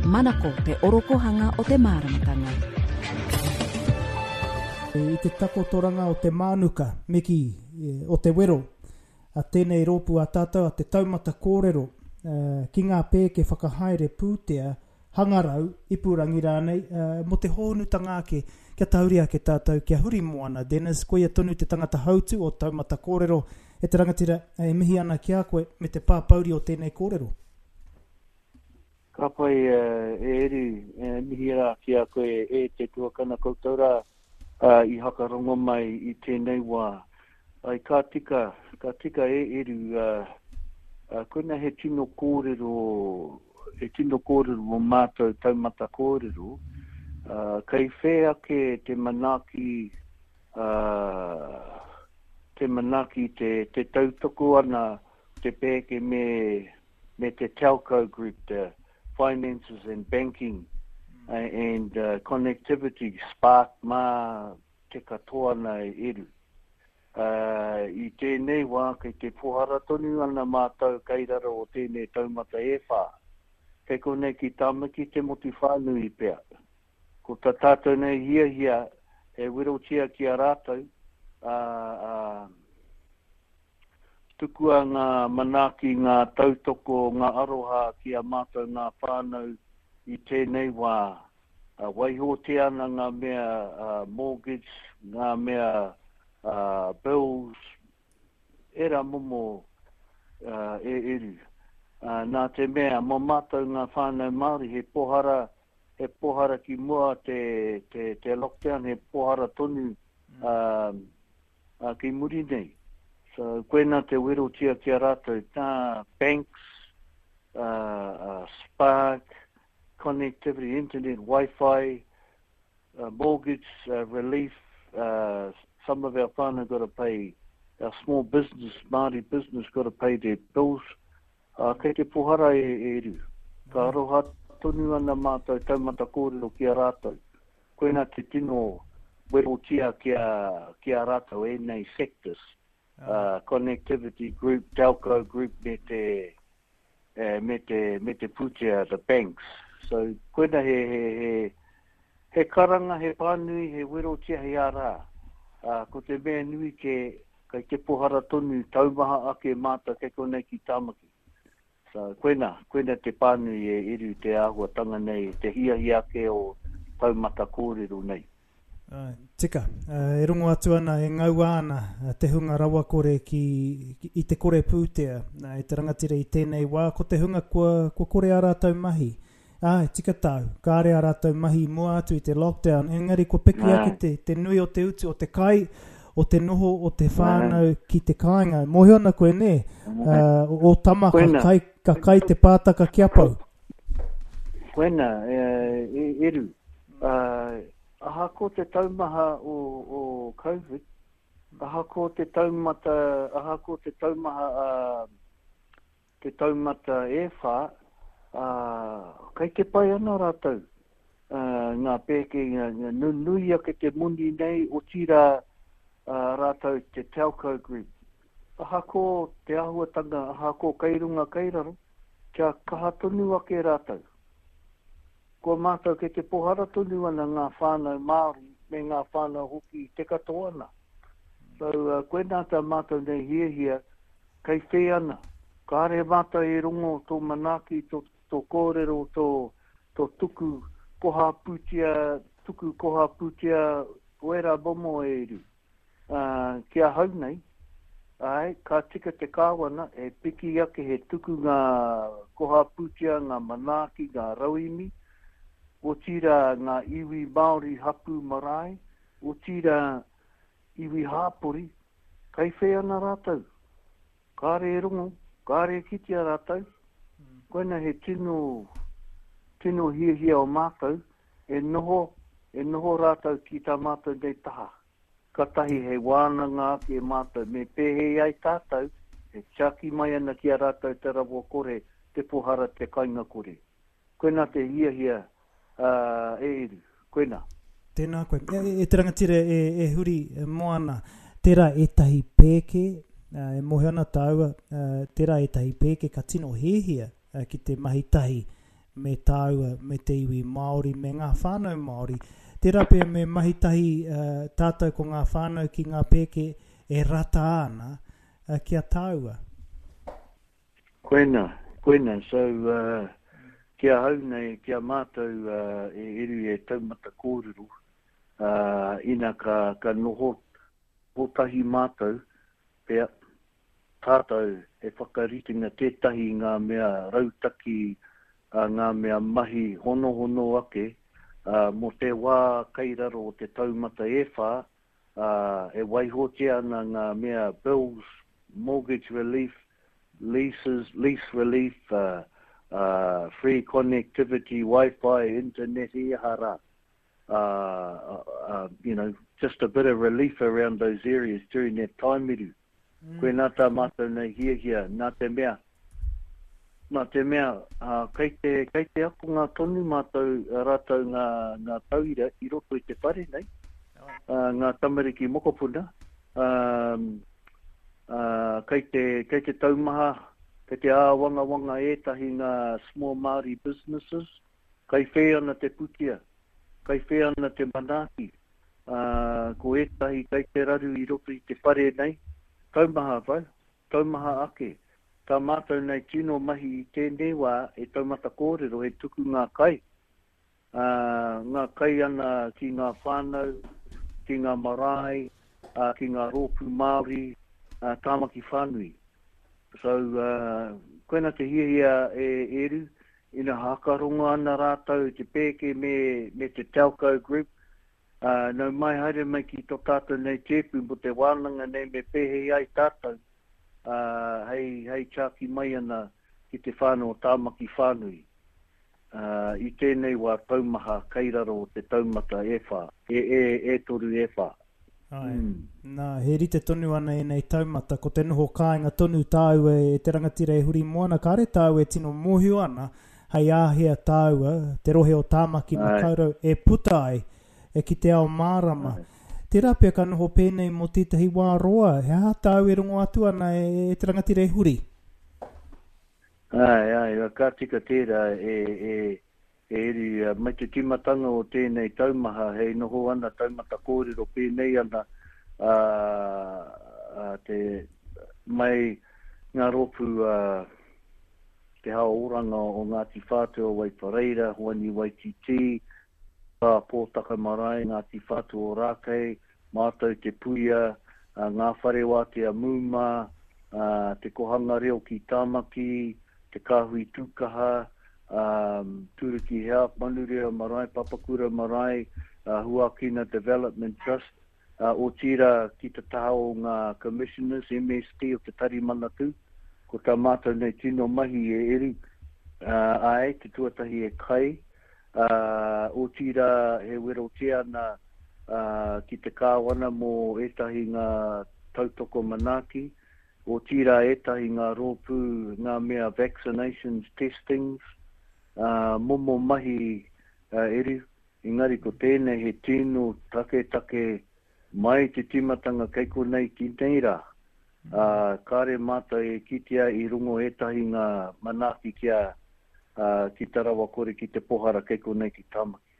Manako te orokohanga o te māramatanga. I te takotoranga o te mānuka, me kī, o te wero, a tēnei rōpū a tātou a Te Taumata Kōrero ki ngā pēke whakahaere pūtea, hangarau, ipurangi rānei, mō te hōhonutanga ake, kia tahuri ake tātou, kia huri moana. Dennis, koia tonu te tangata hautū o Taumata Kōrero. E te rangatira, e mihi ana ki a koe me te pāpouri o tēnei kōrero. Ka pai e Eru, e mihi rā ki a koe e te tuakana koutou rā i hakarongo mai i tēnei wā. Ai ka tika, ka tika e Eru, koina he tino kōrero, he tino kōrero mō mātou taumata kōrero, kei whē ake te manaaki, te manaaki te tautoko ana te pēke me me te telco group, te finances and banking and connectivity, Spark mā te katoa ana e Eru. I tēnei wā kei te pohara tonu ana mātou kei raro o tēnei taumata e whā. Kei konei ki Tāmaki te motu whānui pea. Ko tā tātou nei hiahia he werotia ki a rātou, ā, ā, Tukua ngā manaaki, ngā tautoko, ngā aroha ki a mātou ngā whānau i tēnei wā. Waihotia ana ngā mea mortgage, ngā mea bills, ērā momo e eru. Nā te mea, mō mātou ngā whānau Māori, he pohara, he pohara ki mua te, te, te lockdown, he pohara tonu ki muri nei. So, koina te werotia ki a rātou, tā banks, Spark, connectivity, internet, Wi-Fi, mortgage relief, some of our whānau got to pay, our small business, Māori business got to pay their bills. Kei te pohara e Eru. Ka aroha tonu ana mātou taumata kōrero ki a rātou. Koina te tino werotia ki a, ki a rātou ēnei sectors, connectivity group, telco group me te, me te, me te pūtea, the banks. So, koina he, he, he, he karanga, he pānui, he werotia, he arā. Ko te mea nui kē, kei te pohara tonu, taumaha ake mātou kei konei ki Tāmaki. So, koina, koina te pānui e Eru te āhuatanga nei, te hiahia ake o taumata kōrero nei. Āe, tika. E rongo atu ana, e ngaua ana te hunga rawakore ki, i te kore pūtea e te rangatira i tēnei wā, ko te hunga kua, kua kore ā rātou mahi. Āe, tika tāu, kāre ā rātou mahi i mua atu i te lockdown, engari kua piki ake te, te nui o te utu o te kai, o te noho o te whānau ki te kāinga. Mōhio ana koe, nē, uh, o tama ka kai, ka kai te pātaka kia pau. Koina, e, e, Eru, uh, ahako te taumaha o, o COVID, ahako te taumata, ahako te taumaha uh, te taumata e wha, ā, kei te pai ana rātou, ā, ngā pēke, ngā, ngā, nunui ake te moni nei, otirā, ā, rātou te telco group. Ahako te āhuatanga, ahako kei runga kei raro, kia kaha tonu ake rātou. Kua mātou kei te pohara tonu ana ngā whānau Māori me ngā whānau hoki i te katoa ana. So, uh, koinā tā mātou nei hiahia, Kei whē ana. Kāre mātou e rongo tō manaaki, tō, tō kōrero, tō, tō tuku koha pūtea, tuku koha pūtea, ko ērā momo e Eru. Ā, ki ahau nei, āe, ka tika te Kāwana e piki ake he tuku ngā koha pūtea, ngā manaaki, ngā rauemi, otirā ngā iwi Māori hapū marae, otirā iwi hāpori, Kai whē ana rātou. Kāre e rongo, kāre e kitea rātou. Koina he tino, tino hiahia o mātou, e noho, e noho rātou ki tā mātou nei taha. Katahi hei wānanga ake mātou me pēhei ai tātou e tiaki mai ana ki a rātou te rawa kore, te pohara, te kainga kore. Koina te hiahia e Eru. Koina. Tēnā koe. E, e te rangatira e, e huri e moana, tērā ētahi pēke, e mōhio ana tāua, tērā ētahi pēke ka tino hiahia ki te mahi tahi me tāua, me te iwi Māori, me ngā whānau Māori. Tērā pea me mahi tahi tātou ko ngā whānau ki ngā pēke e rata ana ki a tāua. Koina, koina, so ki ahau nei, ki a mātou e Eru e taumata kōrero, ina ka, ka noho kotahi mātou, pea, tātou he whakaritenga tētahi ngā mea rautaki, ngā mea mahi honohono ake, mō te wā kei raro o te taumata e whā, e waihotia ana ngā mea bills, mortgage relief, leases, lease relief, free connectivity, wifi, internet, i aha rā. You know, just a bit of relief around those areas during that time eru. Koinā tā mātou nei hiahia, nā te mea, nā te mea, kei te, kei te akonga tonu mātou, rātou ngā, ngā tauira i roto i te whare nei, ngā tamariki mokopuna, kei te, kei te taumaha, kei te āwangawanga ētahi ngā small Māori businesses, Kai whē ana te putia, kai whē ana te manaaki, ā, ko ētahi kai te raru i roto i te whare nei, taumaha wau, taumaha ake. Tā mātou nei tino mahi i tēnei wā e taumata kōrero he tuku ngā kai, ā, ngā kai ana ki ngā whānau, ki ngā marae, ā, ki ngā rōpū Māori, ā, Tāmaki whānui. So, ā, koina te hiahia e Eru, Ina hakarongo ana rātou i te pēke me, me te Telco Group, ā, nau mai haere mai ki tō tātou nei tēpu mō te wānanga nei me pēhei ai tātou, ā, hei, hei tiaki mai ana ki te whānau o Tāmaki whānui, ā, i tēnei wā taumaha kei raro o te taumata e whā, e, e, e toru e whā. Āe. Nā, he rite tonu ana ēnei taumata, ko te noho kāinga tonu tāua e te rangatira e huri moana, kāre tāua e tino mōhio ana hei āhea tāua, te rohe o Tāmaki Makaurau, e puta ai e ki te ao mārama. Tērā pea ka noho pēnei mō tētahi wā roa, he aha tāu e rongo atu ana e te rangatira e huri? Āe, āe, ka tika tērā e, e, E eri, mai te tīmatanga o tēnei taumaha hei noho ana taumata kōrero pēnei ana a, a te, mai ngā rōpū a Te Hao Oranga o Ngāti Whātua Waipareira, Hoani Waititi, Tā Pōtaka Marae, Ngāti Whātua o Rākei, Mātou Te Puia, Ngā Whare Wātea Mūmā, Te Kohanga Reo ki Tāmaki, Te Kāhui Tūkaha, Turuki Health, Manurewa Marae, Papakura Marae, Huakina Development Trust, otirā ki te taha o ngā Commissioners, MST o Te Tari Manatū. Ko tā mātou nei tino mahi e Eru, āe, te tuatahi e kai, otirā he werotia ana ki te Kāwana mō ētahi ngā tautoko manaaki, Otirā ētahi ngā rōpū, ngā mea vaccinations, testings, ā, momo mahi eru, engari ko tēnei he tino taketake mai te tīmatanga kei konei ki nei rā, ā, kāre mātou e kitea i rongo ētahi ngā manaaki kia, ā, ki te rawakore, ki te pohara kei konei ki Tāmaki.